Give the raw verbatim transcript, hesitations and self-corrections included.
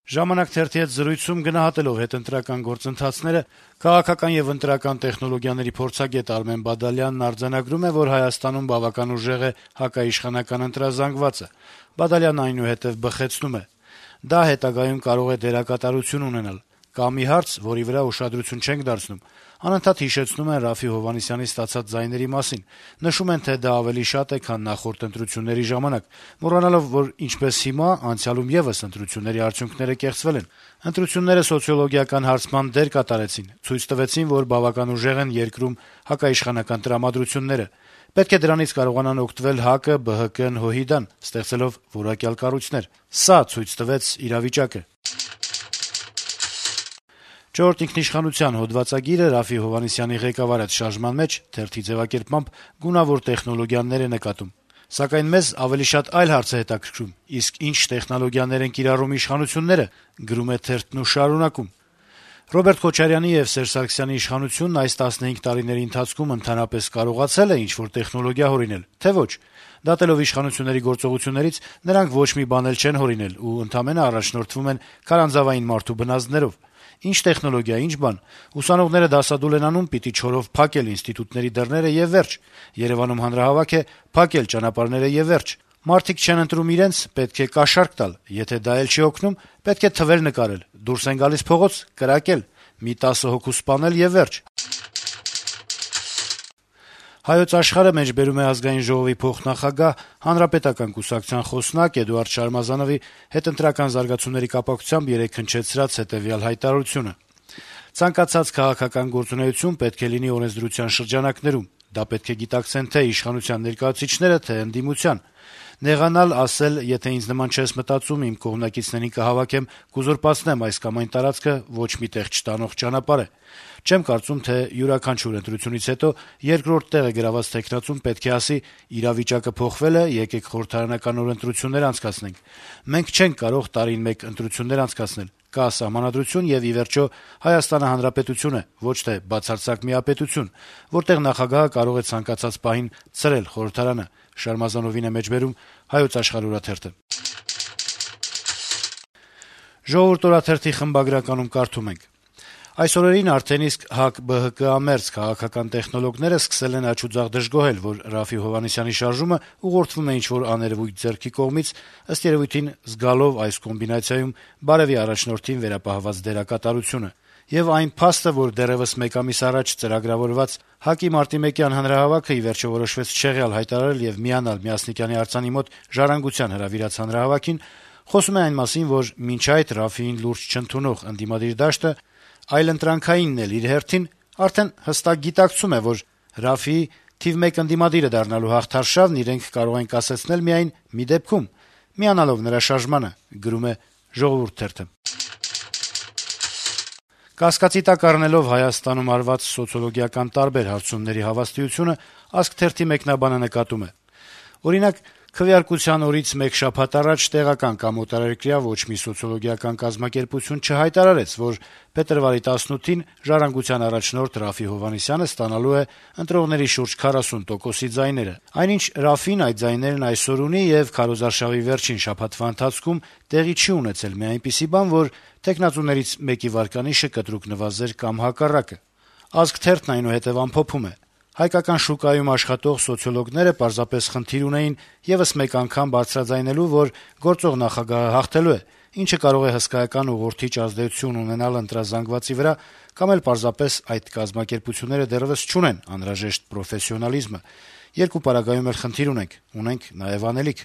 «Ժամանակ» թերթի հետ զրույցում գնահատելով հետընտրական գործընթացները քաղաքական եւ ընտրական տեխնոլոգիաների փորձագետ Արմեն Բադալյանն արձանագրում է, որ Հայաստանում բավական ուժեղ է հակաիշխանական ընտրազանգվածը: Բադալյանն այնուհետեւ բխեցնում է. - «Դա հետագայում կարող է դերակատարություն ունենալ: Կա մի հարց, որի վրա ուշադրություն չենք դարձնում: Անընդհատ հիշեցնում են Րաֆֆի Հովհաննիսյանի ստացած ձայների մասին, նշում են, թե դա ավելի շատ է, քան նախորդ ընտրությունների ժամանակ, մոռանալով, որ ինչպես հիմա, անցյալում եւս ընտրությունների արդյունքները կեղծվել են: Ընտրությունները սոցիոլոգիական հարցման դեր կատարեցին, ցույց տվեցին, որ բավական ուժեղ են երկրում հակաիշխանական տրամադրությունները: Պետք է դրանից կարողանան օգտվել ՀԱԿ-ը, ԲՀԿ-ն, ՀՅԴ-ն` ստեղծելով որակյալ կառույցներ: Սա ցույց տվեց իրավիճակը»: «Չորրորդ ինքնիշխանության» հոդվածագիրը Րաֆֆի Հովհաննիսյանի ղեկավարած շարժման մեջ, թերթի ձեւակերպմամբ, գունավոր տեխնոլոգիաներ է նկատում. - «Սակայն մեզ ավելի շատ այլ հարց է հետաքրքրում. իսկ ինչ տեխնոլոգիաներ են կիրառում իշխանությունները»: «Ռոբերտ Քոչարյանի եւ Սերժ Սարգսյանի իշխանությունն այս տասնհինգ տարիների ընթացքում ընդհանրապես կարողացե՞լ է ինչ-որ տեխնոլոգիա հորինել, թե՞ ոչ: Դատելով իշխանությունների գործողություններից` նրանք ոչ մի բան էլ չեն հորինել ու ընդամենը առաջնորդվում են քարանձավային մարդու բնազդներով: Ինչ տեխնոլոգիա, ինչ բան: Ուսանողները դասադուլ են անում, պիտի չորով փակել ինստիտուտների դռները եւ վերջ: Երեւանում հանրահավաք է, փակել ճանապարհները եւ վերջ: Մարդիկ չեն ընտրում իրենց, պետք է կաշառք տալ: Եթե դա էլ չի օգնում, պետք է թվեր նկարել, դուրս են գալիս փողոց, կրակել, մի տասը հոգու սպանել եւ վերջ»: «Հայոց Աշխարհ»-ը մեջբերում է Ազգային ժողովի փոխնախագահ, Հանրապետական կուսակցության խոսնակ Էդուարդ Շարմազանովի հետընտրական զարգացումների կապակցությամբ երեկ հնչեցրած հետեւյալ հայտարարությունը. - «Ցանկացած քաղաքական գործունեություն պետք է լինի օրենսդրության շրջանակներում: Դա պետք է գիտակցեն թե իշխանության ներկայացուցիչները, թե ընդդիմության: Նեղանալ, ասել՝ եթե ինձ նման չես մտածում, իմ կողմնակիցներին կհավաքեմ, կուզուրպացնեմ այս կամ այն տարածքը, ոչ մի տեղ չտանող ճանապարհ է: Չեմ կարծում, թե յուրաքանչյուր ընտրությունից հետո երկրորդ տեղը գրաված թեկնածուն պետք է ասի՝ իրավիճակը փոխվել է, եկեք խորհրդարանական նոր ընտրություններ անցկացնենք: Մենք չենք կարող տարին մեկ ընտրություններ անցկացնել: Կա Սահմանադրություն, եւ, ի վերջո, Հայաստանը Հանրապետություն է, ոչ թե բացարձակ միապետություն, որտեղ նախագահը կարող է ցանկացած պահին ցրել խորհրդարանը»: «Ժողովուրդ» օրաթերթի խմբագրականում կարդում ենք. - «Այս օրերին արդեն իսկ ՀԱԿ-ԲՀԿ-ամերձ քաղաքական տեխնոլոգները սկսել են աջուձախ դժգոհել, որ Րաֆֆի Հովհաննիսյանի շարժումը ուղղորդվում է ինչ-որ աներեւույթ ձեռքի կողմից, ըստ երեւույթին զգալով այս կոմբինացիայում բարեւի առաջնորդին վերապահված դերակատարությունը: Եվ այն փաստը, որ դեռեւս մեկ ամիս առաջ ծրագրավորված ՀԱԿ-ի մարտի մեկյան հանրահավաքը ի վերջո որոշվեց չեղյալ հայտարարել եւ միանալ Մյասնիկյանի արձանի մոտ ժառանգության հրավիրած հանրահավաքին, խոսում է այն մասին, որ մինչ այդ Րաֆֆիին լուրջ չընդունող ընդդիմադիր դաշտը, այլընտրանքայինն էլ իր հերթին, արդեն հստակ գիտակցում է, որ Րաֆֆիի թիվ մեկ ընդդիմադիրը դառնալու հաղթարշավն իրենք կարող են կասեցնել միայն մի դեպքում` միանալով նրա շարժմանը»: Կասկածի տակ առնելով Հայաստանում արված սոցիոլոգիական տարբեր հարցումների հավաստիությունը, «Ազգ» թերթի մեկնաբանը նկատում է. - «Օրինակ, քվեարկության օրից մեկ շաբաթ առաջ տեղական կամ օտարերկրյա ոչ մի սոցիոլոգիական կազմակերպություն չհայտարարեց, որ փետրվարի տասնութին «Ժառանգության» առաջնորդ Րաֆֆի Հովհաննիսյանը ստանալու է ընտրողների շուրջ քառասուն տոկոսի ձայները: Այնինչ Րաֆֆին այդ ձայներն այսօր ունի, եւ քարոզարշավի վերջին շաբաթվա ընթացքում տեղի չի ունեցել մի այնպիսի բան, որ թեկնածուներից մեկի վարկանիշը կտրուկ նվազեր կամ հակառակը»: «Ազգ» թերթն այնուհետեւ ամփոփում է. - «Հայկական շուկայում աշխատող սոցիոլոգները պարզապես խնդիր ունեին եւս մեկ անգամ բարձրաձայնելու, որ գործող նախագահը հաղթելու է, ինչը կարող է հսկայական ուղղորդիչ ազդեցություն ունենալ ընտրազանգվածի վրա, կամ էլ պարզապես այդ կազմակերպությունները դեռեւս չունեն անհրաժեշտ պրոֆեսիոնալիզմը: Երկու պարագայում էլ խնդիր ունենք, ունենք նաեւ անելիք»: